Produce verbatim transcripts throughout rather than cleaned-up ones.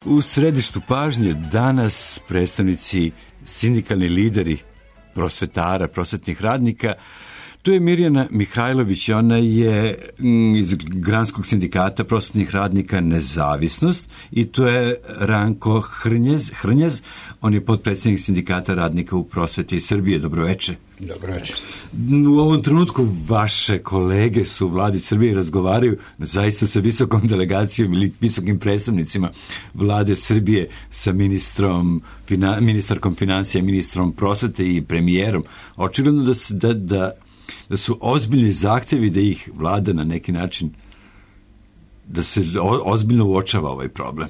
U središtu pažnje danas predstavnici, sindikalni lideri prosvetara, prosvetnih radnika. Tu je Mirjana Mihajlović, ona je iz Granskog sindikata prosvetnih radnika Nezavisnost, i tu je Ranko Hrnjez, Hrnjez, on je potpredsjednik sindikata radnika u prosveti Srbije. Dobroveče. Dobroveče. U ovom trenutku vaše kolege su u vladi Srbije i razgovaraju zaista sa visokom delegacijom ili visokim predstavnicima vlade Srbije, sa ministrom, fina, ministarkom financija, ministrom prosvete i premijerom. Očigledno da, da, da, da su ozbiljni zahtevi da ih vlada na neki način, da se ozbiljno uočava ovaj problem.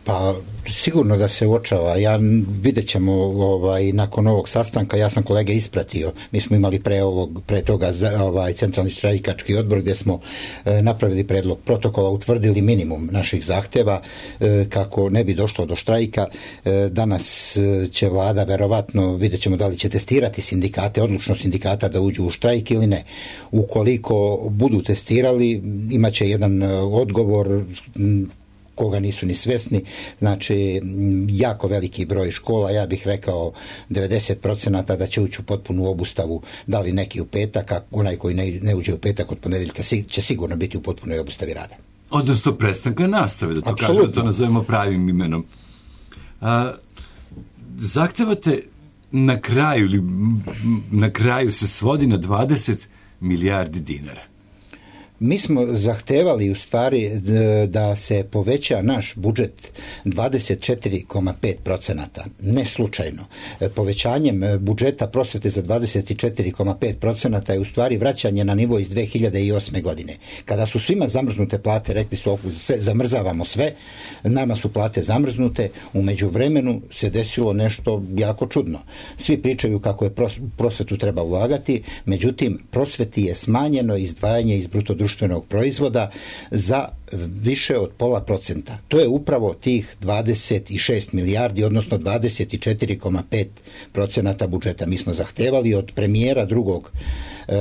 Pa sigurno da se uočava. Ja vidjet ćemo ovaj, nakon ovog sastanka, ja sam kolege ispratio. Mi smo imali pre, ovog, pre toga ovaj, centralni štrajkački odbor gdje smo e, napravili predlog protokola, utvrdili minimum naših zahteva e, kako ne bi došlo do štrajka. E, danas e, će vlada verovatno, vidjet ćemo da li će testirati sindikate, odlučno sindikata da uđu u štrajk ili ne. Ukoliko budu testirali, imat će jedan odgovor koga nisu ni svesni, znači jako veliki broj škola, ja bih rekao devedeset procenata da će ući u potpunu obustavu, da li neki u petak, a onaj koji ne, ne uđe u petak od ponedjeljka će sigurno biti u potpunoj obustavi rada. Odnosno prestanka nastave, da to kažemo, da to nazovemo pravim imenom. A, zahtevate na kraju, ili na kraju se svodi na dvadeset milijardi dinara. Mi smo zahtevali u stvari da se poveća naš budžet dvadeset četiri zarez pet procenata. Ne slučajno. Povećanjem budžeta prosvete za dvadeset četiri zarez pet procenata je u stvari vraćanje na nivo iz dve hiljade osme godine. Kada su svima zamrznute plate, rekli su sve, zamrzavamo sve, nama su plate zamrznute, u međuvremenu se desilo nešto jako čudno. Svi pričaju kako je prosvetu treba ulagati, međutim prosveti je smanjeno izdvajanje iz bruto društvenog proizvoda za više od pola procenta. To je upravo tih dvadeset šest milijardi, odnosno dvadeset četiri zarez pet procenata budžeta. Mi smo zahtevali od premijera drugog e,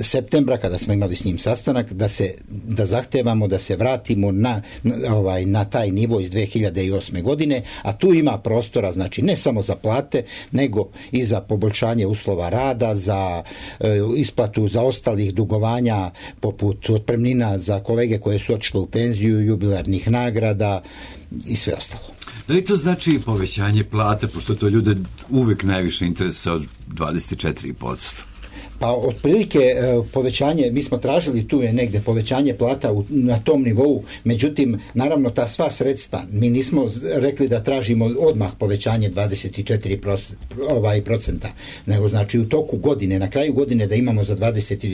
septembra, kada smo imali s njim sastanak, da se da zahtevamo da se vratimo na, na, ovaj, na taj nivo iz dve hiljade osme godine, a tu ima prostora, znači ne samo za plate, nego i za poboljšanje uslova rada, za e, isplatu za ostalih dugovanja, poput otpremnina za kolege koje su otišle u penziju, jubilarnih nagrada i sve ostalo. Da li to znači povećanje plata, pošto to ljude uvek najviše interesa od dvadeset četiri posto? Pa otprilike povećanje, mi smo tražili tu je negde povećanje plata u, na tom nivou, međutim naravno ta sva sredstva, mi nismo rekli da tražimo odmah povećanje dvadeset četiri procenta, nego znači u toku godine, na kraju godine da imamo za dvadeset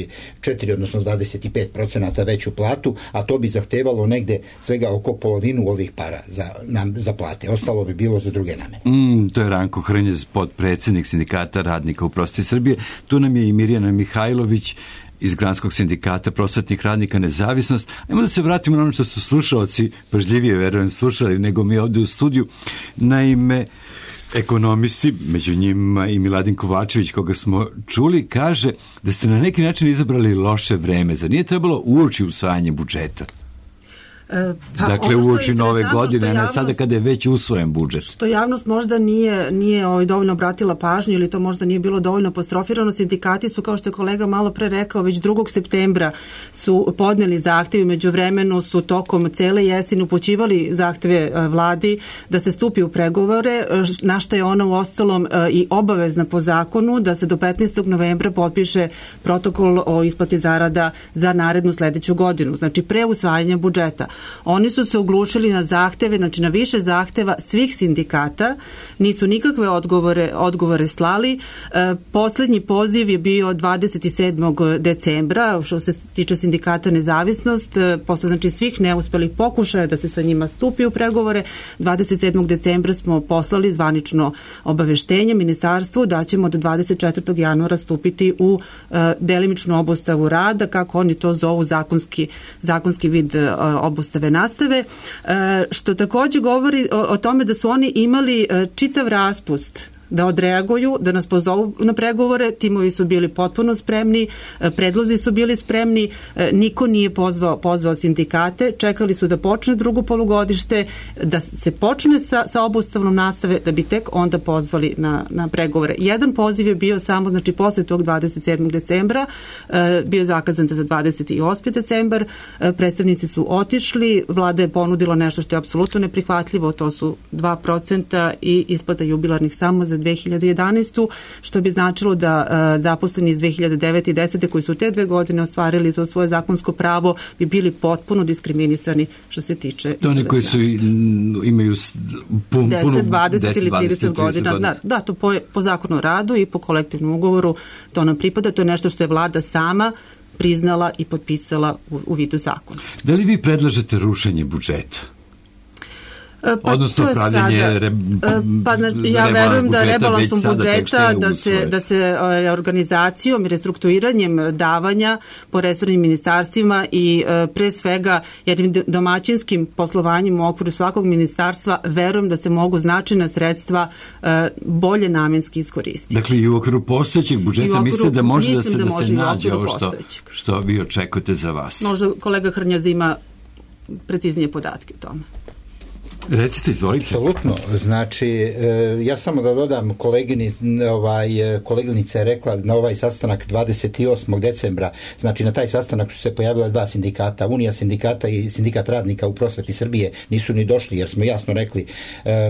četiri odnosno dvadeset pet procenata veću platu, a to bi zahtevalo negde svega oko polovinu ovih para za, nam, za plate, ostalo bi bilo za druge namene. Mm, to je Ranko Hrnjez, potpredsjednik sindikata radnika u prosveti Srbije. Tu nam je i Mirjana Mihajlović iz Granskog sindikata prosvetnih radnika Nezavisnost. Ajmo da se vratimo na ono što su slušalci pažljivije, verujem, slušali nego mi ovdje u studiju. Naime, ekonomisti, među njima i Miladin Kovačević, koga smo čuli, kaže da ste na neki način izabrali loše vreme. Zar nije trebalo uoči usvajanje budžeta? Pa dakle, uoči nove godine, a ne sada kada je već usvojen budžet. Što javnost možda nije, nije ovaj, dovoljno obratila pažnju ili to možda nije bilo dovoljno apostrofirano. Sindikati su, kao što je kolega malo pre rekao, već drugog septembra su podneli zahtjev, među vremenu su tokom cele jeseni upućivali zahtjeve vladi da se stupi u pregovore, na što je ona u ostalom i obavezna po zakonu da se do petnaestog novembra potpiše protokol o isplati zarada za narednu sledeću godinu, znači pre usvajanja budžeta. Oni su se oglušili na zahteve, znači na više zahteva svih sindikata, nisu nikakve odgovore, odgovore slali. E, poslednji poziv je bio dvadeset sedmog decembra, što se tiče sindikata Nezavisnost, e, posle znači svih neuspelih pokušaja da se sa njima stupi u pregovore. dvadeset sedmog decembra smo poslali zvanično obaveštenje ministarstvu da ćemo do dvadeset četvrtog januara stupiti u e, delimičnu obustavu rada, kako oni to zovu zakonski, zakonski vid e, obustave nastave, što također govori o, o tome da su oni imali čitav raspust da odreaguju, da nas pozovu na pregovore. Timovi su bili potpuno spremni, predlozi su bili spremni, niko nije pozvao, pozvao sindikate, čekali su da počne drugo polugodište, da se počne sa, sa obustavnom nastave, da bi tek onda pozvali na, na pregovore. Jedan poziv je bio samo, znači posle tog dvadeset sedmog decembra, bio je zakazan za dvadeset osmi decembar, predstavnici su otišli, vlada je ponudila nešto što je apsolutno neprihvatljivo, to su dva procenta i isplata jubilarnih samo za dve hiljade jedanaestu. što bi značilo da uh, zaposleni iz dve hiljade devete i desete koji su te dve godine ostvarili to svoje zakonsko pravo bi bili potpuno diskriminisani što se tiče... To oni koji su imaju pun, deset, dvadeset ili trideset godina. Da, da, to po, po zakonu o radu i po kolektivnom ugovoru to nam pripada. To je nešto što je vlada sama priznala i potpisala u, u vidu zakona. Da li vi predlažete rušenje budžeta? Pa odnosno pravljenje re, pa, ja verujem da rebalansom budžeta da se, da se organizacijom i restrukturiranjem davanja po resornim ministarstvima i pre svega jednim domaćinskim poslovanjem u okviru svakog ministarstva verujem da se mogu značajna sredstva bolje namenski iskoristiti. Dakle i u okviru postojećeg budžeta mislite da može da se, da, da se nađe ovo što, što vi očekujete za vas? Možda kolega Hrnjaz ima preciznije podatke o tome. Recite, izvolite. Apsolutno. Znači, ja samo da dodam, kolegini, ovaj, koleginica je rekla na ovaj sastanak dvadeset osmog decembra, znači na taj sastanak su se pojavila dva sindikata, Unija sindikata i Sindikat radnika u prosveti Srbije nisu ni došli jer smo jasno rekli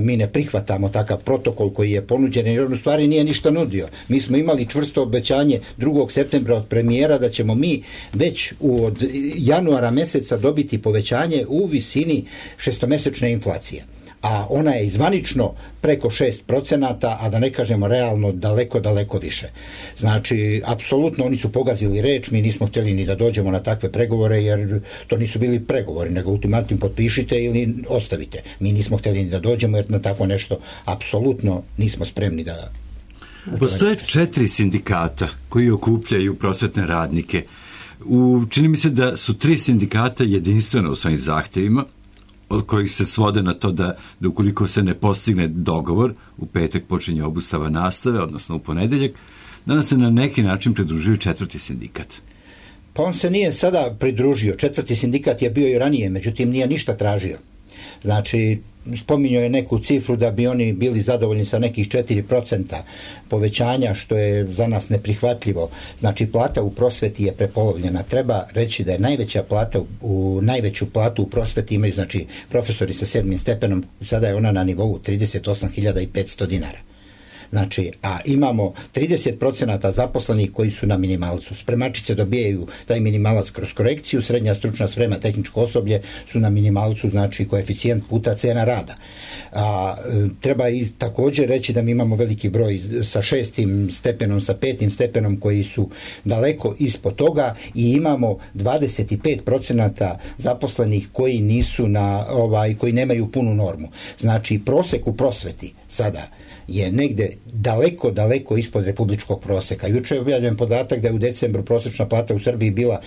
mi ne prihvatamo takav protokol koji je ponuđen jer on u stvari nije ništa nudio. Mi smo imali čvrsto obećanje drugog septembra od premijera da ćemo mi već od januara meseca dobiti povećanje u visini šestomesečne inflacije. A ona je izvanično preko šest procenata, a da ne kažemo realno daleko, daleko više. Znači, apsolutno oni su pogazili reč, mi nismo htjeli ni da dođemo na takve pregovore, jer to nisu bili pregovori, nego ultimatum potpišite ili ostavite. Mi nismo htjeli ni da dođemo, jer na tako nešto apsolutno nismo spremni da... Postoje četiri sindikata koji okupljaju prosvetne radnike. U, čini mi se da su tri sindikata jedinstveno u svojim zahtevima, od kojih se svode na to da, da ukoliko se ne postigne dogovor, u petak počinje obustava nastave, odnosno u ponedeljak, danas se na neki način pridružuje četvrti sindikat. Pa on se nije sada pridružio. Četvrti sindikat je bio i ranije, međutim nije ništa tražio. Znači, spominjao je neku cifru da bi oni bili zadovoljni sa nekih četiri procenta povećanja, što je za nas neprihvatljivo. Znači, plata u prosveti je prepolovljena. Treba reći da je najveća plata, u najveću platu u prosveti imaju, znači, profesori sa sedmim stepenom, sada je ona na nivou trideset osam hiljada petsto dinara. Znači, a imamo trideset procenata zaposlenih koji su na minimalcu. Spremačice dobijaju taj minimalac kroz korekciju, srednja stručna sprema, tehničko osoblje su na minimalcu, znači koeficijent puta cena rada. A, treba i također reći da mi imamo veliki broj sa šestim stepenom, sa petim stepenom koji su daleko ispod toga i imamo dvadeset pet procenata zaposlenih koji nisu na, ovaj, koji nemaju punu normu. Znači, prosek u prosveti sada je negde daleko, daleko ispod republičkog proseka. Juče je objavljen podatak da je u decembru prosječna plata u Srbiji bila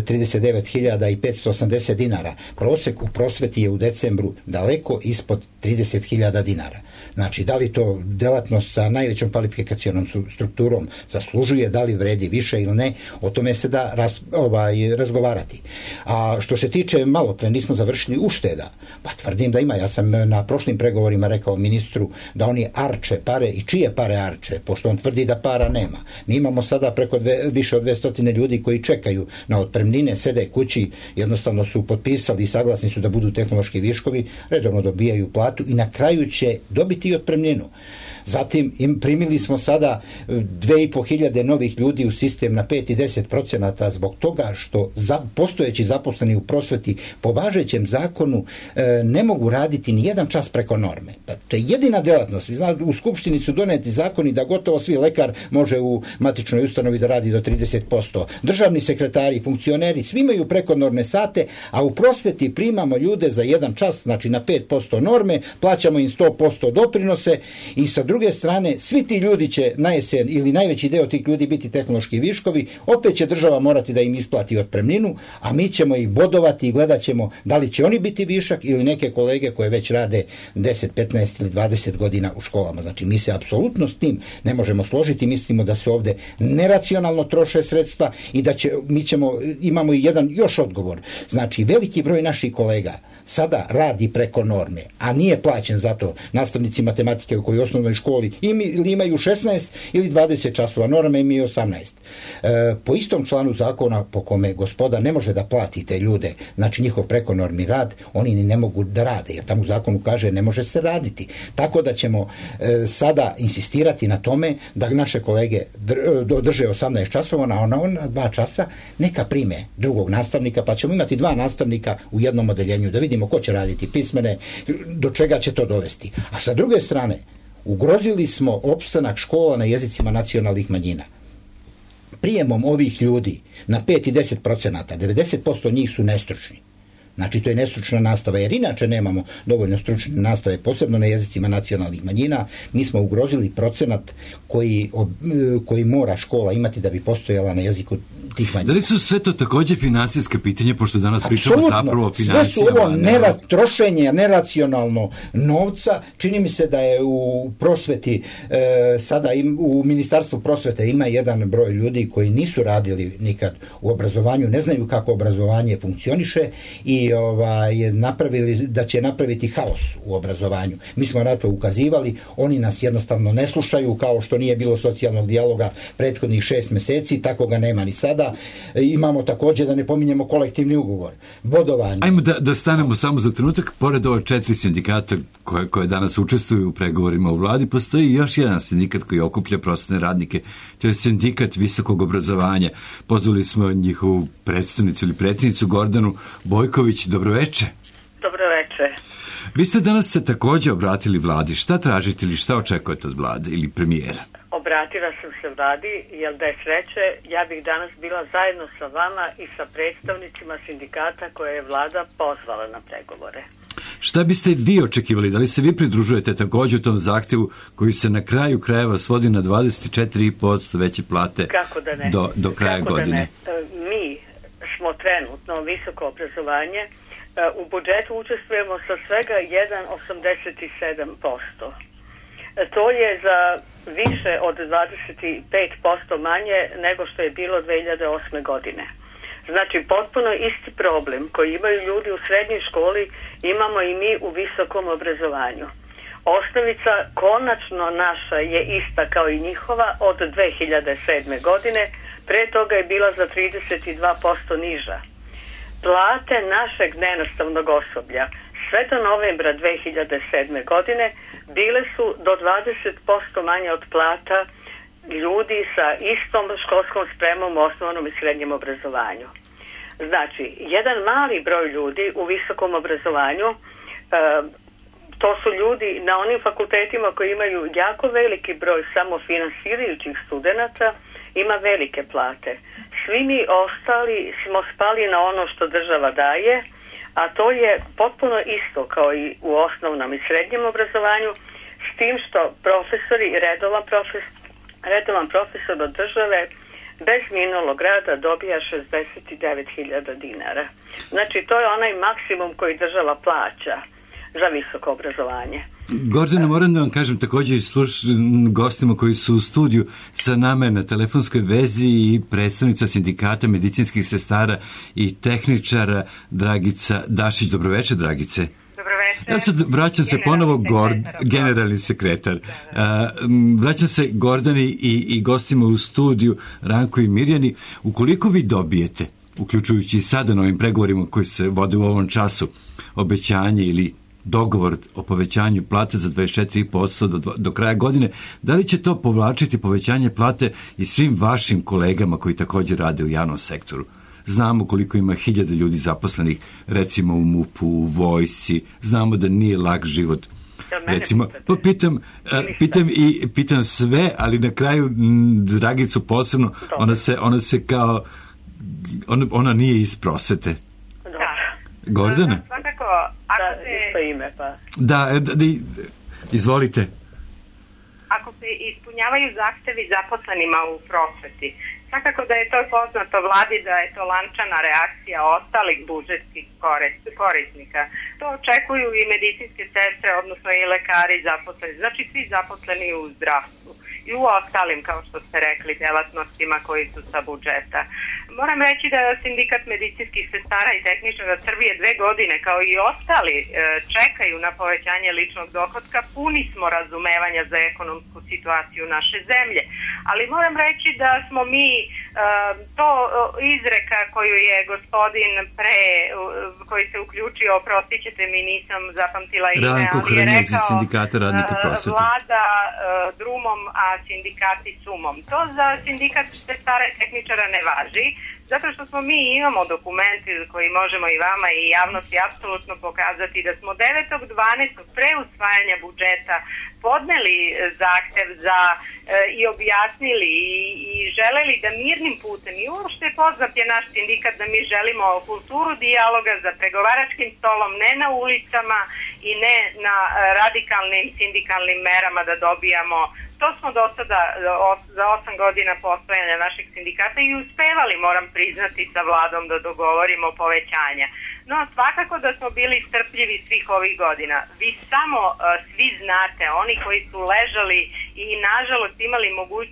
trideset devet hiljada petsto osamdeset dinara. Prosek u prosveti je u decembru daleko ispod trideset hiljada dinara. Znači, da li to delatnost sa najvećom kvalifikacionom strukturom zaslužuje, da li vredi više ili ne, o tome se da raz, ovaj, razgovarati. A što se tiče, malo pre nismo završili ušteda, pa tvrdim da ima. Ja sam na prošlim pregovorima rekao ministru da oni arče pare i čije pare arče, pošto on tvrdi da para nema. Mi imamo sada preko dve, više od dvesta ljudi koji čekaju na otpremnine, sede kući, jednostavno su potpisali i saglasni su da budu tehnološki viškovi, redovno dobijaju platu i na kraju će dobiti i otpremninu. Zatim im primili smo sada dve i po hiljade novih ljudi u sistem na pet i deset procenata zbog toga što za, postojeći zaposleni u prosveti po važećem zakonu e, ne mogu raditi ni jedan čas preko norme. Pa, to je jedina delatnost. Znate, u Skupštini su doneti zakoni da gotovo svi lekar može u matičnoj ustanovi da radi do trideset posto. Državni sekretari, funkcioneri, svi imaju prekonorne sate, a u prosveti primamo ljude za jedan čas, znači na pet posto norme, plaćamo im sto posto doprinose i sa druge druge strane, svi ti ljudi će na jesen ili najveći deo tih ljudi biti tehnološki viškovi, opet će država morati da im isplati otpremninu, a mi ćemo ih bodovati i gledat ćemo da li će oni biti višak ili neke kolege koje već rade deset, petnaest ili dvadeset godina u školama. Znači, mi se apsolutno apsolutno s tim ne možemo složiti. Mislimo da se ovde neracionalno troše sredstva i da će, mi ćemo, imamo i jedan još odgovor. Znači, veliki broj naših kolega sada radi preko norme, a nije plaćen za to. Nastavnici matematike u kojoj osnovnoj školi ili imaju šesnaest ili dvadeset časova, norma im je osamnaest. E, po istom članu zakona po kome gospoda ne može da plati te ljude, znači njihov prekonormni rad, oni ni ne mogu da rade, jer tamo u zakonu kaže ne može se raditi. Tako da ćemo e, sada insistirati na tome da naše kolege drže osamnaest časova, na ona, ona dva časa neka prime drugog nastavnika, pa ćemo imati dva nastavnika u jednom odeljenju, da vidimo ko će raditi pismene, do čega će to dovesti. A sa druge strane, ugrozili smo opstanak škola na jezicima nacionalnih manjina. Prijemom ovih ljudi na pet i deset procenata, devedeset posto njih su nestručni. Znači, to je nestručna nastava, jer inače nemamo dovoljno stručne nastave, posebno na jezicima nacionalnih manjina. Mi smo ugrozili procenat koji, koji mora škola imati da bi postojala na jeziku tih manjina. Da li su sve to takođe finansijska pitanja, pošto danas pričamo Apsolutno. Zapravo o financijama? Sve su ovo nera, trošenje neracionalno novca. Čini mi se da je u prosveti, e, sada im, u Ministarstvu prosvete ima jedan broj ljudi koji nisu radili nikad u obrazovanju, ne znaju kako obrazovanje funkcioniše i ovaj, napravili, da će napraviti haos u obrazovanju. Mi smo na to ukazivali, oni nas jednostavno ne slušaju, kao što nije bilo socijalnog dijaloga prethodnih šest meseci, tako ga nema ni sada. Imamo također, da ne pominjemo, kolektivni ugovor, bodovanje. Ajmo da, da stanemo samo za trenutak. Pored ova četiri sindikata koje, koje danas učestvuju u pregovorima u vladi, postoji još jedan sindikat koji okuplja prosvetne radnike. To je sindikat visokog obrazovanja. Pozvali smo njihovu predstavnicu ili predsjednicu Gordanu Bojković. Dobroveče. Dobroveče. Vi ste danas se također obratili vladi. Šta tražite ili šta očekujete od vlade ili premijera? Obratila sam se vladi, jer da je sreće, ja bih danas bila zajedno sa vama i sa predstavnicima sindikata koje je vlada pozvala na pregovore. Šta biste vi očekivali? Da li se vi pridružujete također u tom zahtjevu koji se na kraju krajeva svodi na dvadeset četiri i po posto veće plate Kako da ne? do, do kraja Kako godine? Da ne? Mi smo trenutno visoko obrazovanje, u budžetu učestvujemo sa svega jedan zarez osamdeset sedam posto. To je za više od dvadeset pet posto manje nego što je bilo dve hiljade osme. godine. Znači, potpuno isti problem koji imaju ljudi u srednjoj školi imamo i mi u visokom obrazovanju. Osnovica konačno naša je ista kao i njihova od dve hiljade sedme. godine, pre toga je bila za trideset dva posto niža. Plate našeg nenastavnog osoblja sve do novembra dve hiljade sedme. godine bile su do dvadeset posto manje od plata ljudi sa istom školskom spremom u osnovnom i srednjem obrazovanju. Znači, jedan mali broj ljudi u visokom obrazovanju, e, to su ljudi na onim fakultetima koji imaju jako veliki broj samofinansirajućih studenata, ima velike plate. Svi mi ostali smo spali na ono što država daje, a to je potpuno isto kao i u osnovnom i srednjem obrazovanju, s tim što profesori i redovan profesor, redovan profesor od države bez minulog rada dobija šezdeset devet hiljada dinara. Znači, to je onaj maksimum koji država plaća za visoko obrazovanje. Gordana, moram da vam kažem također i sluš, gostima koji su u studiju sa nama na telefonskoj vezi i predstavnica sindikata medicinskih sestara i tehničara Dragica Dašić. Dobroveče, Dragice. Dobroveče. Ja sad vraćam se ponovo Gord, generalni sekretar. A, vraćam se Gordani i, i gostima u studiju Ranko i Mirjani. Ukoliko vi dobijete, uključujući i sada na ovim pregovorima koji se vode u ovom času, obećanje ili dogovor o povećanju plate za dvadeset četiri i po posto do, do kraja godine, da li će to povlačiti povećanje plate i svim vašim kolegama koji također rade u javnom sektoru? Znamo koliko ima hiljada ljudi zaposlenih, recimo u MUP-u, u vojsci, znamo da nije lak život. Recimo, pa pitam, pitam i pitam sve, ali na kraju Dragicu posebno, ona se, ona se kao, ona, ona nije iz prosvete. Gordana? Svakako, ako se... Da, ime, pa. Da, da, da, izvolite. Ako se ispunjavaju zahtevi zaposlenima u prosveti, Svakako da je to poznato vladi, da je to lančana reakcija ostalih budžetskih korisnika. To očekuju i medicinske sestre, odnosno i lekari zaposleni, znači svi zaposleni u zdravstvu i u ostalim, kao što ste rekli, delatnostima koji su sa budžeta. Moram reći da Sindikat medicinskih sestara i tehničara Srbije dve godine, kao i ostali, čekaju na povećanje ličnog dohotka. Puni smo razumevanja za ekonomsku situaciju naše zemlje. Ali moram reći da smo mi to izreka koju je gospodin pre, koji se uključio, oprostit ćete mi, nisam zapamtila ime, ali je rekao Sindikata radnika prosvete. Vlada drumom, a sindikati sumom. To za sindikat sestara i tehničara ne važi, zato što smo mi imamo dokumenti koji možemo i vama i javnosti apsolutno pokazati da smo devetog dvanaestog pre usvajanja budžeta podneli zahtev za e, i objasnili i, i želeli da mirnim putem, i uopšte poznat je naš sindikat da mi želimo kulturu dijaloga za pregovaračkim stolom, ne na ulicama i ne na radikalnim sindikalnim merama da dobijamo. To smo do sada za osam godina postojanja našeg sindikata i uspevali, moram priznati, sa vladom da dogovorimo povećanja. No, svakako da smo bili strpljivi svih ovih godina. Vi samo uh, svi znate, oni koji su ležali i nažalost imali moguć,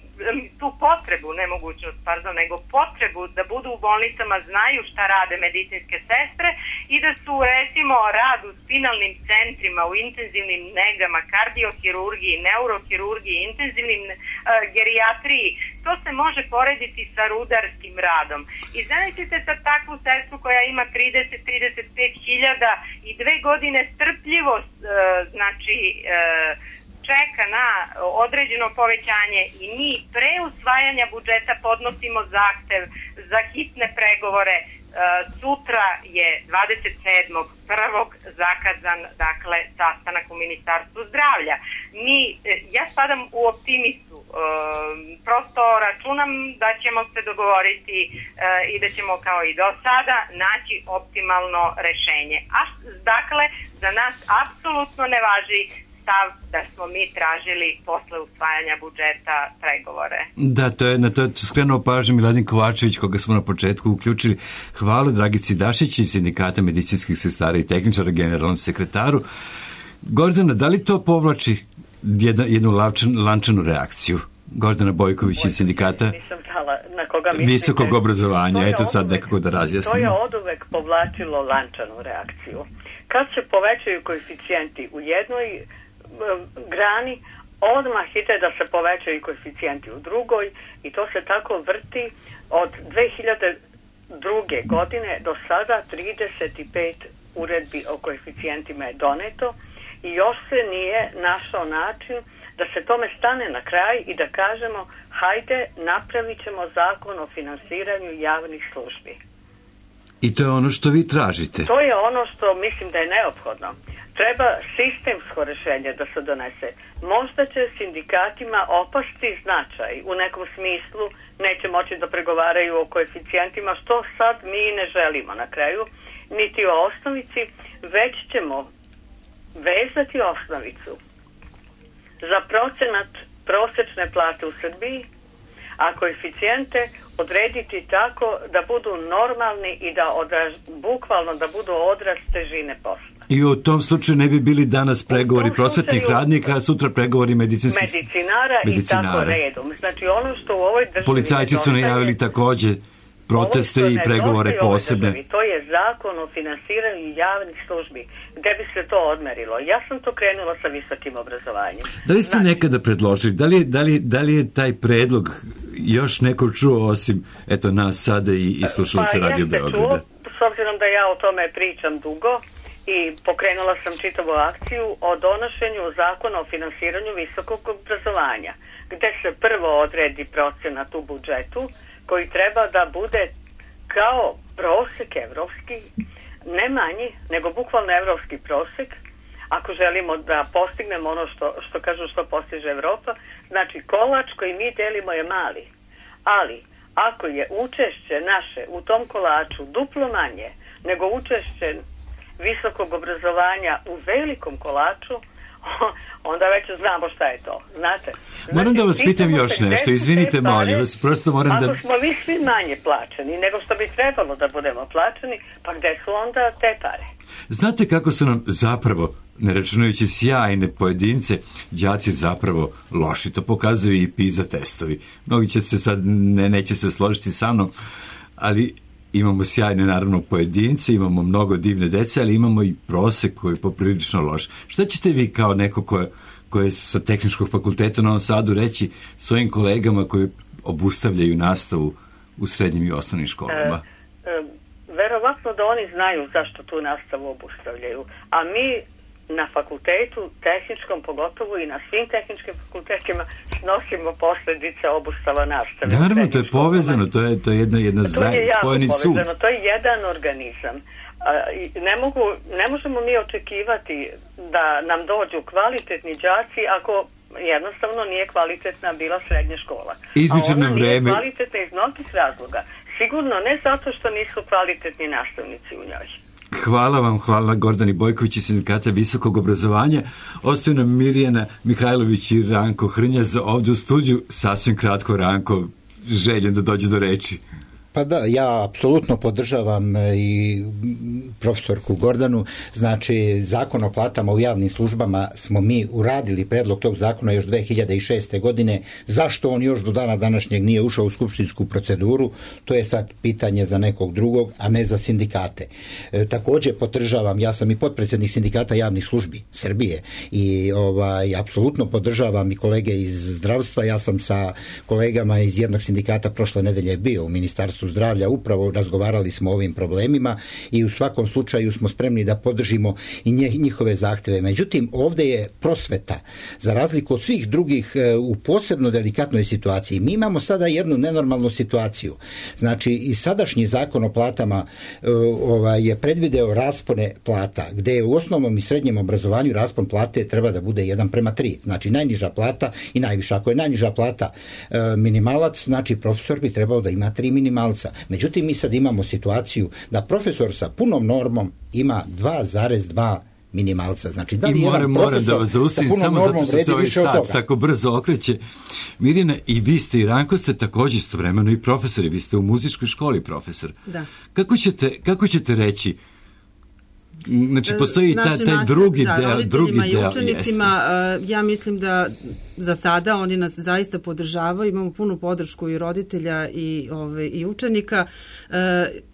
tu potrebu, ne mogućnost, pardon, nego potrebu da budu u bolnicama, znaju šta rade medicinske sestre i da su, recimo, rad u spinalnim centrima, u intenzivnim negama, kardiohirurgiji, neurohirurgiji, intenzivnim uh, gerijatriji, to se može porediti sa rudarskim radom. I zamislite sad takvu sestru koja ima trideset do trideset pet hiljada i dve godine strpljivost, uh, znači, uh, čeka na određeno povećanje i mi pre usvajanja budžeta podnosimo zahtev za hitne pregovore. E, sutra je dvadeset sedmog prvog zakazan, dakle, sastanak u Ministarstvu zdravlja. Mi, ja spadam u optimistu, e, prosto računam da ćemo se dogovoriti e, i da ćemo kao i do sada naći optimalno rešenje. A dakle, za nas apsolutno ne važi stav da smo mi tražili posle usvajanja budžeta pregovore. Da, to je na to skrenuo pažnju Miladin Kovačević, koga smo na početku uključili. Hvala Dragici Dašić iz Sindikata medicinskih sestara i tehničara, generalnom sekretaru. Gordana, da li to povlači jedna, jednu lančan, lančanu reakciju? Gordana Bojković iz Sindikata na koga mislite, visokog obrazovanja. Eto sad nekako da razjasnimo. To je oduvek povlačilo lančanu reakciju. Kad se povećaju koeficijenti u jednoj grani, odmah ide da se povećaju koeficijenti u drugoj i to se tako vrti od dve hiljade druge. godine do sada. Trideset pet uredbi o koeficijentima je doneto i još se nije našao način da se tome stane na kraj i da kažemo hajde napravit ćemo zakon o finansiranju javnih službi. I to je ono što vi tražite? To je ono što mislim da je neophodno. Treba sistemsko rešenje da se donese. Možda će sindikatima opasti značaj u nekom smislu, neće moći da pregovaraju o koeficijentima, što sad mi ne želimo na kraju, niti o osnovici, već ćemo vezati osnovicu za procenat prosečne plate u Srbiji, a koeficijente odrediti tako da budu normalni i da odraz, bukvalno da budu odraz težine posla. I u tom slučaju ne bi bili danas pregovori prosvetnih radnika, a sutra pregovori medicinskih medicinara, medicinara i tako redom. Znači ono što u ovoj državi... Policajci su najavili takođe proteste i pregovore posebne. To je zakon o finansiranju javnih službi, gde bi se to odmerilo. Ja sam to krenula sa visokim obrazovanjem. Da li ste znači, nekada predložili, da li, da, li, da li je taj predlog još neko čuo osim eto nas sada i, i slušalice pa, Radio Beograda? S obzirom da ja o tome pričam dugo i pokrenula sam čitavu akciju o donošenju zakona o finansiranju visokog obrazovanja, gde se prvo odredi procenat u budžetu koji treba da bude kao prosek evropski, ne manji, nego bukvalno evropski prosek, ako želimo da postignemo ono što, što kažu što postiže Evropa. Znači, kolač koji mi delimo je mali, ali ako je učešće naše u tom kolaču duplo manje nego učešće visokog obrazovanja u velikom kolaču, onda već znamo šta je to, znate. Znači, moram da vas pitam još nešto, izvinite, molim vas, prosto moram ako da... Ako smo mi svi manje plaćeni nego što bi trebalo da budemo plaćeni, pa gde su onda te pare? Znate kako su nam zapravo, ne računajući sjajne pojedince, đaci zapravo loši. To pokazuju i PISA testovi. Mnogi će se sad, ne, neće se složiti sa mnom, ali imamo sjajne, naravno, pojedince, imamo mnogo divne dece, ali imamo i prosek koji je poprilično loš. Šta ćete vi kao neko koje, koje je sa Tehničkog fakulteta u Novom Sadu reći svojim kolegama koji obustavljaju nastavu u srednjim i osnovnim školama? E, e, verovatno da oni znaju zašto tu nastavu obustavljaju, a mi na fakultetu, tehničkom pogotovo i na svim tehničkim fakultetima snosimo posljedice obustava nastave. Naravno, to je povezano, to je, to je jedna, jedna zajedno, spojeni sud. To je jedan organizam. Ne, mogu, ne možemo mi očekivati da nam dođu kvalitetni đaci ako jednostavno nije kvalitetna bila srednja škola. Izmičeno A ona vreme... nije kvalitetna iz mnogih razloga. Sigurno ne zato što nisu kvalitetni nastavnici u njoj. Hvala vam, hvala Gordani Bojković iz Sindikata visokog obrazovanja. Ostaju nam Mirjana Mihajlović i Ranko Hrnjaz ovdje u studiju. Sasvim kratko, Ranko, željen da dođe do reči. Pa da, ja apsolutno podržavam i profesorku Gordanu. Znači, zakon o platama u javnim službama smo mi uradili predlog tog zakona još dve hiljade šeste. godine. Zašto on još do dana današnjeg nije ušao u skupštinsku proceduru? To je sad pitanje za nekog drugog, a ne za sindikate. E, također podržavam, ja sam i potpredsjednik Sindikata javnih službi Srbije i ovaj, apsolutno podržavam i kolege iz zdravstva. Ja sam sa kolegama iz jednog sindikata prošle nedelje bio u Ministarstvu zdravlja, upravo razgovarali smo o ovim problemima i u svakom slučaju smo spremni da podržimo i njihove zahteve. Međutim, ovdje je prosveta, za razliku od svih drugih, u posebno delikatnoj situaciji. Mi imamo sada jednu nenormalnu situaciju. Znači, i sadašnji zakon o platama ovaj, je predvideo raspone plata, gdje je u osnovnom i srednjem obrazovanju raspon plate treba da bude jedan prema tri. Znači, najniža plata i najviša. Ako je najniža plata e, minimalac, znači profesor bi trebao da ima tri minimalca. Međutim, mi sad imamo situaciju da profesor sa punom normom ima dva zarez dva minimalca. Znači, da li I moram, moram da vas zaustavim samo zato što se ovaj sat tako brzo okreće. Mirjana, i vi ste i Ranko ste također istovremeno i profesori. Vi ste u muzičkoj školi profesor. Da. Kako ćete, kako ćete reći? Znači, postoji taj, taj drugi da, deo, drugi i deo. Učenicima, uh, ja mislim da za sada oni nas zaista podržavaju, imamo punu podršku i roditelja i, ove, i učenika. Uh,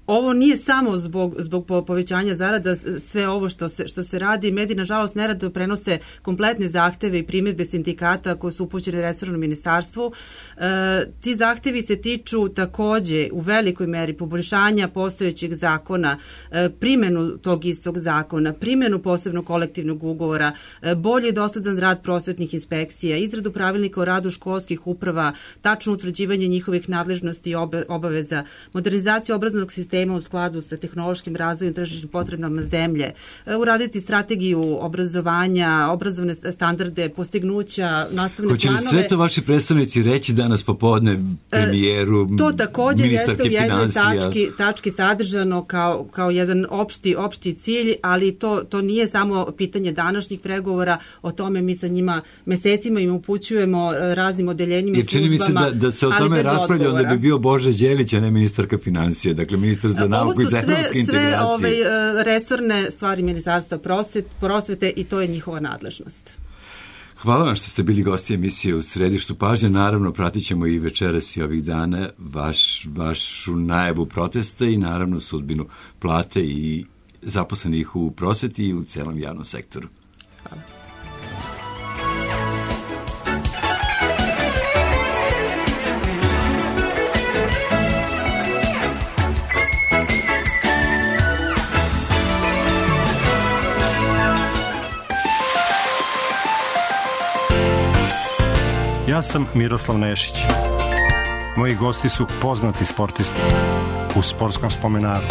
ovo nije samo zbog, zbog povećanja zarada, sve ovo što se, što se radi. Mediji, nažalost, nerado prenose kompletne zahteve i primjedbe sindikata koje su upućene resornom ministarstvu. E, ti zahtevi se tiču takođe u velikoj meri poboljšanja postojećeg zakona, e, primjenu tog istog zakona, primjenu posebnog kolektivnog ugovora, e, bolji i dosledan rad prosvetnih inspekcija, izradu pravilnika o radu školskih uprava, tačno utvrđivanje njihovih nadležnosti i obaveza, modernizaciju obrazovnog sistema u skladu sa tehnološkim razvojem tržišnim potrebama zemlje, uraditi strategiju obrazovanja, obrazovne standarde, postignuća, nastavne planove. planove. Hoće li sve to vaši predstavnici reći danas popodne premijeru, ministarke financija? To također jeste u jednoj tački, tački sadržano kao, kao jedan opšti, opšti cilj, ali to, to nije samo pitanje današnjih pregovora, o tome mi sa njima mesecima im upućujemo raznim odeljenjima i službama. Čini mi se da, da se o tome raspravlja da bi bio Bože Đelić, a ne ministarka financija, dakle ministar za nauku i za evropske integracije. Ovo su sve, sve ove, resorne stvari ministarstva prosvete, prosvete i to je njihova nadležnost. Hvala vam što ste bili gosti emisije u središtu pažnje. Naravno, pratit ćemo i večeras i ovih dana vaš, vašu najavu protesta i naravno sudbinu plate i zaposlenih u prosveti i u celom javnom sektoru. Hvala. Ja sam Miroslav Nešić. Moji gosti su poznati sportisti u Sportskom spomenaru.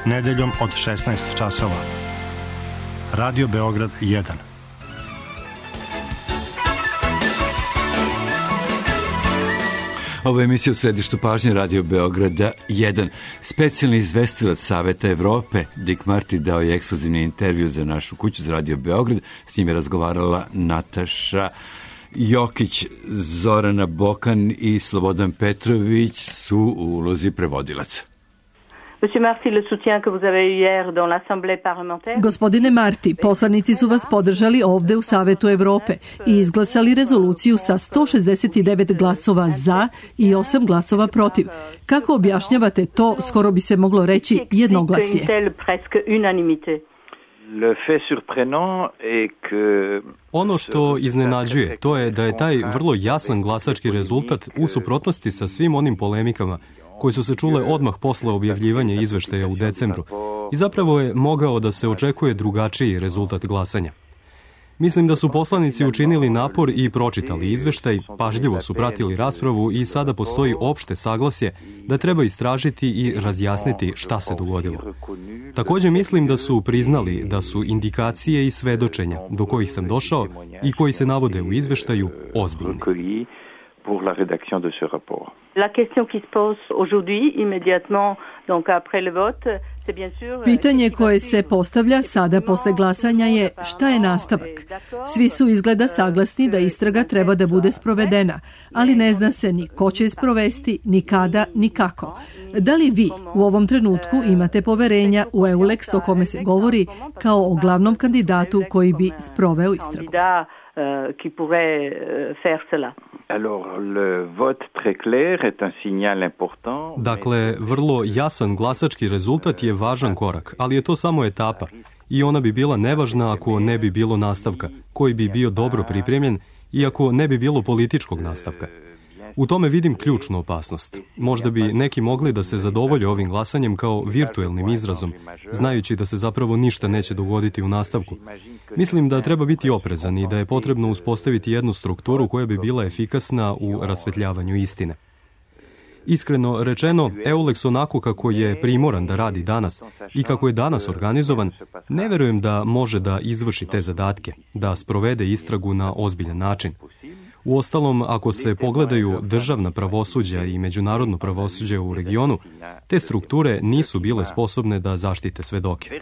Nedeljom od šesnaest časova. Radio Beograd jedan. Ovo je emisija u središtu pažnje Radio Beograda jedan. Specijalni izvestilac Saveta Evrope, Dick Marty, dao je ekskluzivni intervju za našu kuću za Radio Beograd. S njim je razgovarala Nataša Jokić, Zorana Bokan i Slobodan Petrović su u ulozi prevodilaca. Gospodine Marti, poslanici su vas podržali ovde u Savetu Evrope i izglasali rezoluciju sa sto šezdeset devet glasova za i osam glasova protiv. Kako objašnjavate to, skoro bi se moglo reći, jednoglasje? Ono što iznenađuje, to je da je taj vrlo jasan glasački rezultat u suprotnosti sa svim onim polemikama koje su se čule odmah posle objavljivanja izveštaja u decembru i zapravo je mogao da se očekuje drugačiji rezultat glasanja. Mislim da su poslanici učinili napor i pročitali izveštaj, pažljivo su pratili raspravu i sada postoji opšte saglasje da treba istražiti i razjasniti šta se dogodilo. Također mislim da su priznali da su indikacije i svedočenja do kojih sam došao i koji se navode u izveštaju ozbiljni. Pour la rédaction de ce rapport. La question qui se pose aujourd'hui, immédiatement, donc après le vote, c'est bien sûr... Pitanje koje se postavlja sada posle glasanja je šta je nastavak. Svi su izgleda saglasni da istraga treba da bude sprovedena, ali ne zna se ni ko će je sprovesti, ni kada, ni kako. Da li vi u ovom trenutku imate poverenja u EULEX o kome se govori kao o glavnom kandidatu koji bi sproveo istragu? Qui pourrait faire cela. Alors, le vote très clair est un signal important. Dakle, vrlo jasan glasački rezultat je važan korak, ali je to samo etapa i ona bi bila nevažna ako ne bi bilo nastavka, koji bi bio dobro pripremljen i ako ne bi bilo političkog nastavka. U tome vidim ključnu opasnost. Možda bi neki mogli da se zadovolje ovim glasanjem kao virtuelnim izrazom, znajući da se zapravo ništa neće dogoditi u nastavku. Mislim da treba biti oprezan i da je potrebno uspostaviti jednu strukturu koja bi bila efikasna u rasvetljavanju istine. Iskreno rečeno, EULEX onako kako je primoran da radi danas i kako je danas organizovan, ne verujem da može da izvrši te zadatke, da sprovede istragu na ozbiljan način. Uostalom, ako se pogledaju državna pravosuđa i međunarodno pravosuđe u regionu, te strukture nisu bile sposobne da zaštite svedoke.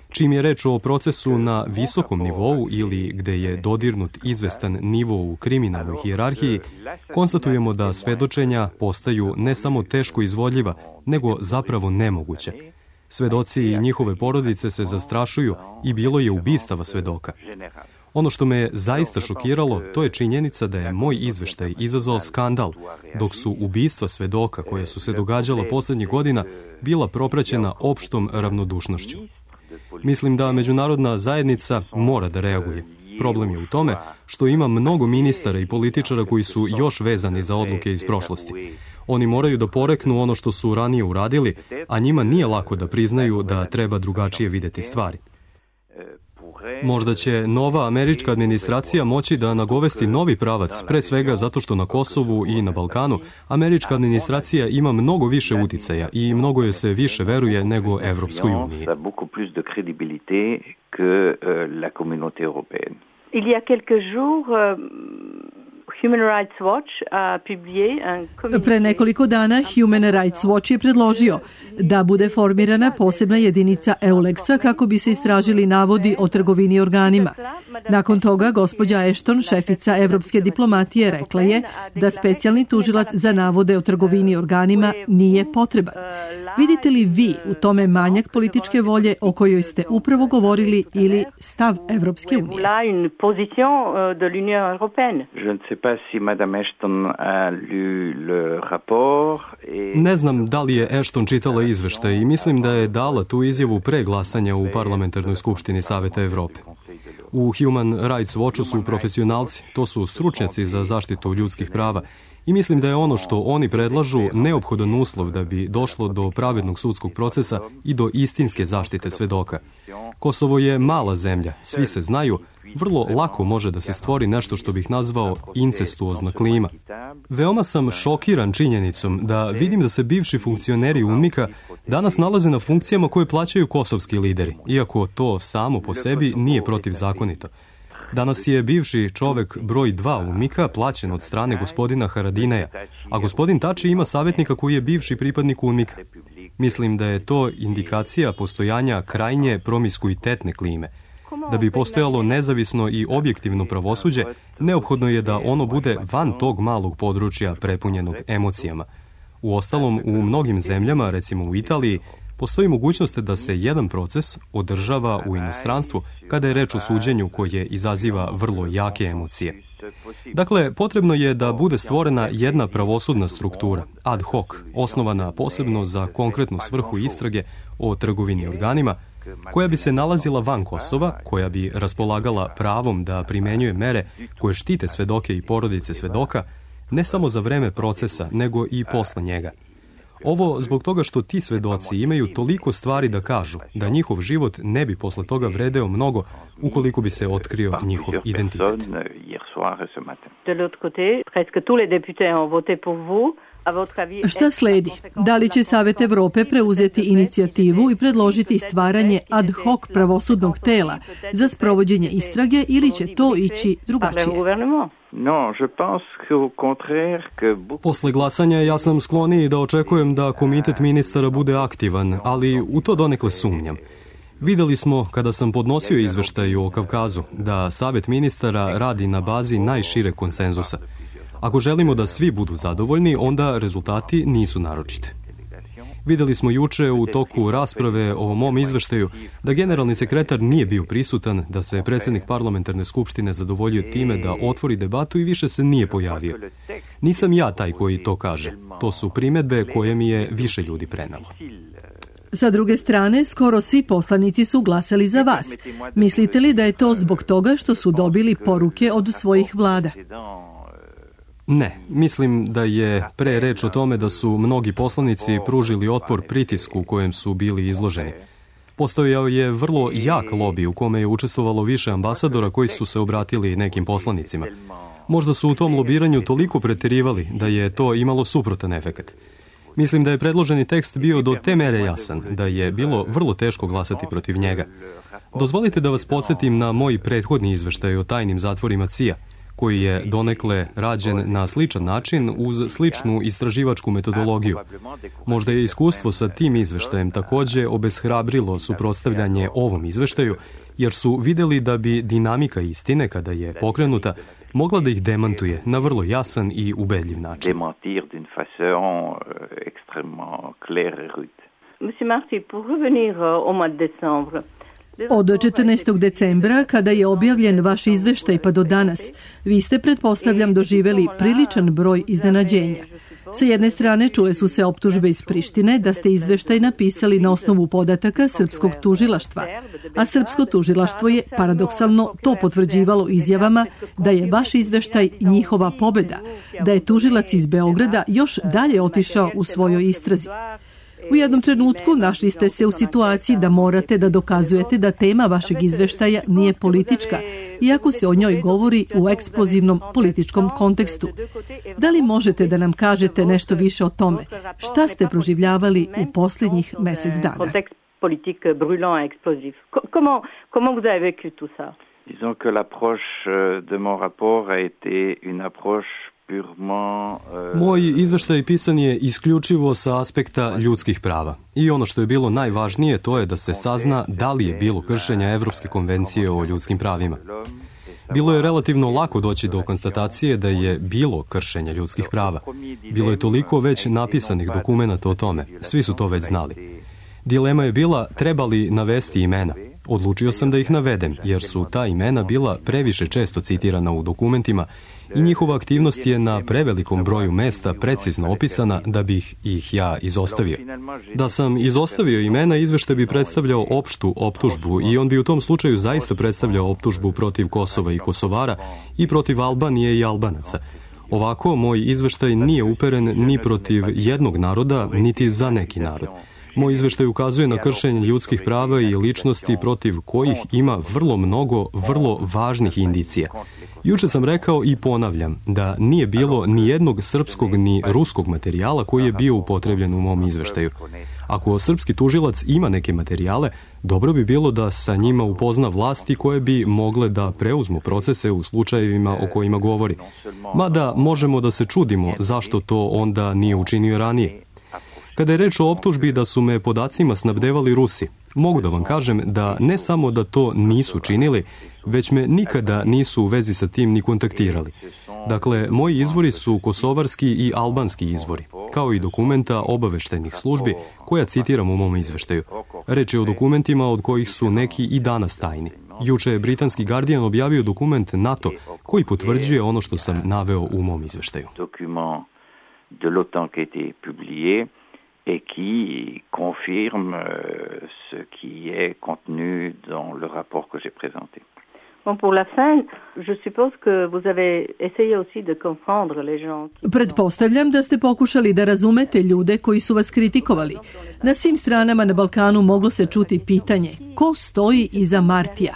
Čim je reč o procesu na visokom nivou ili gde je dodirnut izvestan nivo u kriminalnoj hijerarhiji, konstatujemo da svedočenja postaju ne samo teško izvodljiva, nego zapravo nemoguće. Svedoci i njihove porodice se zastrašuju i bilo je ubistava svedoka. Ono što me zaista šokiralo, to je činjenica da je moj izveštaj izazvao skandal, dok su ubistva svedoka koja su se događala poslednjih godina bila propraćena opštom ravnodušnošću. Mislim da međunarodna zajednica mora da reaguje. Problem je u tome što ima mnogo ministara i političara koji su još vezani za odluke iz prošlosti. Oni moraju da poreknu ono što su ranije uradili, a njima nije lako da priznaju da treba drugačije videti stvari. Možda će nova američka administracija moći da nagovesti novi pravac, pre svega zato što na Kosovu i na Balkanu američka administracija ima mnogo više uticaja i mnogo joj se više veruje nego Evropskoj uniji. Il y a quelques jours, Human Rights Watch a publié un communiqué. Pre nekoliko dana Human Rights Watch je predložio da bude formirana posebna jedinica EULEX-a kako bi se istražili navodi o trgovini organima. Nakon toga, gospođa Ashton, šefica evropske diplomatije, rekla je da specijalni tužilac za navode o trgovini organima nije potreban. Vidite li vi u tome manjak političke volje o kojoj ste upravo govorili ili stav Evropske unije? Ne znam da li je Ashton čitala izveštaj i mislim da je dala tu izjavu pre glasanja u Parlamentarnoj skupštini Saveta Evrope. U Human Rights Watchu su profesionalci, to su stručnjaci za zaštitu ljudskih prava i mislim da je ono što oni predlažu neophodan uslov da bi došlo do pravednog sudskog procesa i do istinske zaštite svedoka. Kosovo je mala zemlja, svi se znaju, vrlo lako može da se stvori nešto što bih nazvao incestuozna klima. Veoma sam šokiran činjenicom da vidim da se bivši funkcioneri UNMIK-a danas nalaze na funkcijama koje plaćaju kosovski lideri, iako to samo po sebi nije protivzakonito. Danas je bivši čovek broj dva UNMIK-a plaćen od strane gospodina Haradineja, a gospodin Tači ima savjetnika koji je bivši pripadnik UNMIK-a. Mislim da je to indikacija postojanja krajnje promiskuitetne klime. Da bi postojalo nezavisno i objektivno pravosuđe, neophodno je da ono bude van tog malog područja prepunjenog emocijama. Uostalom, u mnogim zemljama, recimo u Italiji, postoji mogućnost da se jedan proces održava u inostranstvu kada je reč o suđenju koje izaziva vrlo jake emocije. Dakle, potrebno je da bude stvorena jedna pravosudna struktura, ad hoc, osnovana posebno za konkretnu svrhu istrage o trgovini organima, koja bi se nalazila van Kosova, koja bi raspolagala pravom da primenjuje mere koje štite svedoke i porodice svedoka, ne samo za vreme procesa, nego i posle njega. Ovo zbog toga što ti svedoci imaju toliko stvari da kažu, da njihov život ne bi posle toga vredeo mnogo ukoliko bi se otkrio njihov identitet. De l'autre côté, presque tous les députés ont voté pour vous. Šta sledi? Da li će Savet Evrope preuzeti inicijativu i predložiti stvaranje ad hoc pravosudnog tela za sprovođenje istrage ili će to ići drugačije? Posle glasanja ja sam skloniji da očekujem da komitet ministara bude aktivan, ali u to donekle sumnjam. Videli smo, kada sam podnosio izveštaj o Kavkazu, da Savet ministara radi na bazi najšireg konsenzusa. Ako želimo da svi budu zadovoljni, onda rezultati nisu naročiti. Videli smo juče u toku rasprave o mom izveštaju da generalni sekretar nije bio prisutan, da se predsjednik parlamentarne skupštine zadovoljio time da otvori debatu i više se nije pojavio. Nisam ja taj koji to kaže. To su primjedbe koje mi je više ljudi prenalo. Sa druge strane, skoro svi poslanici su glasali za vas. Mislite li da je to zbog toga što su dobili poruke od svojih vlada? Ne, mislim da je pre reč o tome da su mnogi poslanici pružili otpor pritisku kojem su bili izloženi. Postojao je vrlo jak lobi u kome je učestvovalo više ambasadora koji su se obratili nekim poslanicima. Možda su u tom lobiranju toliko preterivali da je to imalo suprotan efekat. Mislim da je predloženi tekst bio do te mere jasan, da je bilo vrlo teško glasati protiv njega. Dozvolite da vas podsjetim na moj prethodni izveštaj o tajnim zatvorima C I A, koji je donekle rađen na sličan način uz sličnu istraživačku metodologiju. Možda je iskustvo sa tim izveštajem takođe obeshrabrilo suprotstavljanje ovom izveštaju, jer su videli da bi dinamika istine, kada je pokrenuta, mogla da ih demantuje na vrlo jasan i ubedljiv način. Monsieur Marty, pour revenir au mois de décembre, od četrnaestog decembra, kada je objavljen vaš izveštaj pa do danas, vi ste, pretpostavljam, doživeli priličan broj iznenađenja. Sa jedne strane čule su se optužbe iz Prištine da ste izveštaj napisali na osnovu podataka srpskog tužilaštva, a srpsko tužilaštvo je paradoksalno to potvrđivalo izjavama da je vaš izveštaj njihova pobeda, da je tužilac iz Beograda još dalje otišao u svojoj istrazi. U jednom trenutku našli ste se u situaciji da morate da dokazujete da tema vašeg izveštaja nije politička, iako se o njoj govori u eksplozivnom političkom kontekstu. Da li možete da nam kažete nešto više o tome? Šta ste proživljavali u posljednjih mesec dana? Comment vous avez vécu tout ça? Disons que l'approche de mon rapport a été une approche Moj izveštaj pisan je isključivo sa aspekta ljudskih prava. I ono što je bilo najvažnije to je da se sazna da li je bilo kršenja Evropske konvencije o ljudskim pravima. Bilo je relativno lako doći do konstatacije da je bilo kršenja ljudskih prava. Bilo je toliko već napisanih dokumenata o tome. Svi su to već znali. Dilema je bila treba li navesti imena. Odlučio sam da ih navedem, jer su ta imena bila previše često citirana u dokumentima i njihova aktivnost je na prevelikom broju mesta precizno opisana da bih ih ja izostavio. Da sam izostavio imena, izveštaj bi predstavljao opštu optužbu i on bi u tom slučaju zaista predstavljao optužbu protiv Kosova i Kosovara i protiv Albanije i Albanaca. Ovako, moj izveštaj nije uperen ni protiv jednog naroda, niti za neki narod. Moj izveštaj ukazuje na kršenje ljudskih prava i ličnosti protiv kojih ima vrlo mnogo vrlo važnih indicija. Juče sam rekao i ponavljam da nije bilo ni jednog srpskog ni ruskog materijala koji je bio upotrebljen u mom izveštaju. Ako srpski tužilac ima neke materijale, dobro bi bilo da sa njima upozna vlasti koje bi mogle da preuzmu procese u slučajevima o kojima govori. Mada možemo da se čudimo zašto to onda nije učinio ranije. Kada je reč o optužbi da su me podacima snabdevali Rusi, mogu da vam kažem da ne samo da to nisu činili, već me nikada nisu u vezi sa tim ni kontaktirali. Dakle, moji izvori su kosovarski i albanski izvori, kao i dokumenta obaveštajnih službi koja citiram u mom izveštaju. Reč je o dokumentima od kojih su neki i danas tajni. Juče je britanski Guardian objavio dokument NATO koji potvrđuje ono što sam naveo u mom izveštaju. Dokument de l'OTAN qui a été publié et qui confirme ce qui est contenu dans le rapport que j'ai présenté. Bon, pour la fin, je suppose que vous avez essayé aussi de comprendre les gens. Pretpostavljam da ste pokušali da razumete ljude koji su vas kritikovali. Na svim stranama na Balkanu moglo se čuti pitanje: ko stoji iza Martija?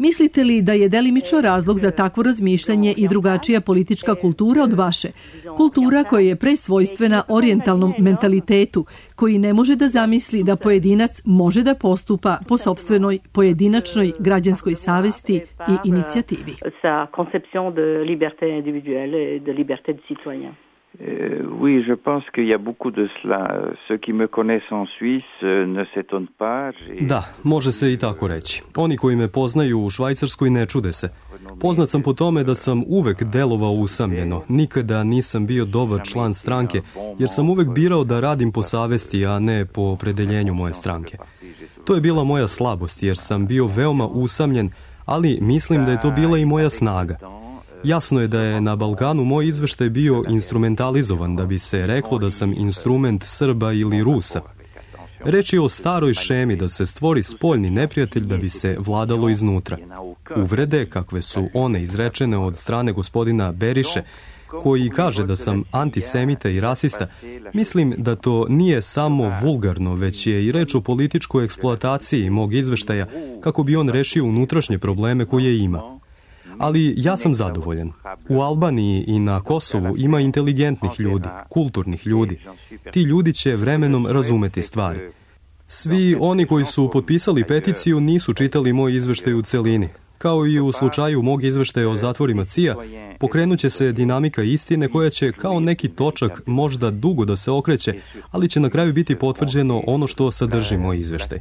Mislite li da je delimično razlog za takvo razmišljanje i drugačija politička kultura od vaše? Kultura koja je presvojstvena orijentalnom mentalitetu, koji ne može da zamisli da pojedinac može da postupa po sopstvenoj pojedinačnoj građanskoj savesti i inicijativi. Sa conception de liberté individuelle et de liberté du citoyen. Euh, oui, je pense qu'il y a beaucoup de cela. Ceux qui me connaissent en Suisse ne s'étonnent pas. Da, može se i tako reći. Oni koji me poznaju u Švajcarskoj ne čude se. Poznat sam po tome da sam uvek delovao usamljeno. Nikada nisam bio dobar član stranke, jer sam uvek birao da radim po savesti, a ne po opredeljenju moje stranke. To je bila moja slabost, jer sam bio veoma usamljen, ali mislim da je to bila i moja snaga. Jasno je da je na Balkanu moj izveštaj bio instrumentalizovan da bi se reklo da sam instrument Srba ili Rusa. Reč je o staroj šemi da se stvori spoljni neprijatelj da bi se vladalo iznutra. Uvrede, kakve su one izrečene od strane gospodina Beriše, koji kaže da sam antisemita i rasista, mislim da to nije samo vulgarno, već je i reč o političkoj eksploataciji mog izveštaja kako bi on rešio unutrašnje probleme koje ima. Ali ja sam zadovoljan. U Albaniji i na Kosovu ima inteligentnih ljudi, kulturnih ljudi. Ti ljudi će vremenom razumeti stvari. Svi oni koji su potpisali peticiju nisu čitali moj izveštaj u celini. Kao i u slučaju mog izveštaja o zatvorima C I A, pokrenut će se dinamika istine koja će kao neki točak možda dugo da se okreće, ali će na kraju biti potvrđeno ono što sadrži moj izveštaj.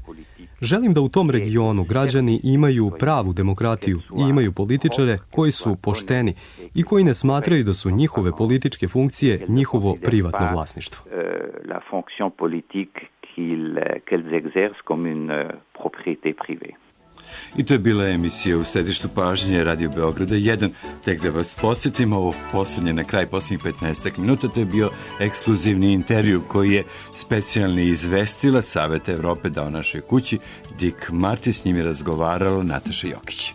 Želim da u tom regionu građani imaju pravu demokratiju i imaju političare koji su pošteni i koji ne smatraju da su njihove političke funkcije njihovo privatno vlasništvo. La fonction politique qu'ils exercent comme une propriété privée. I to je bila emisija U središtu pažnje Radio Beograda jedan, tek da vas podsjetimo, ovo poslednje na kraj posljednjih petnaest minuta, to je bio ekskluzivni intervju koji je specijalni izvestilac Saveta Evrope dao našoj kući, Dick Marty, s njim je razgovarala Nataša Jokić.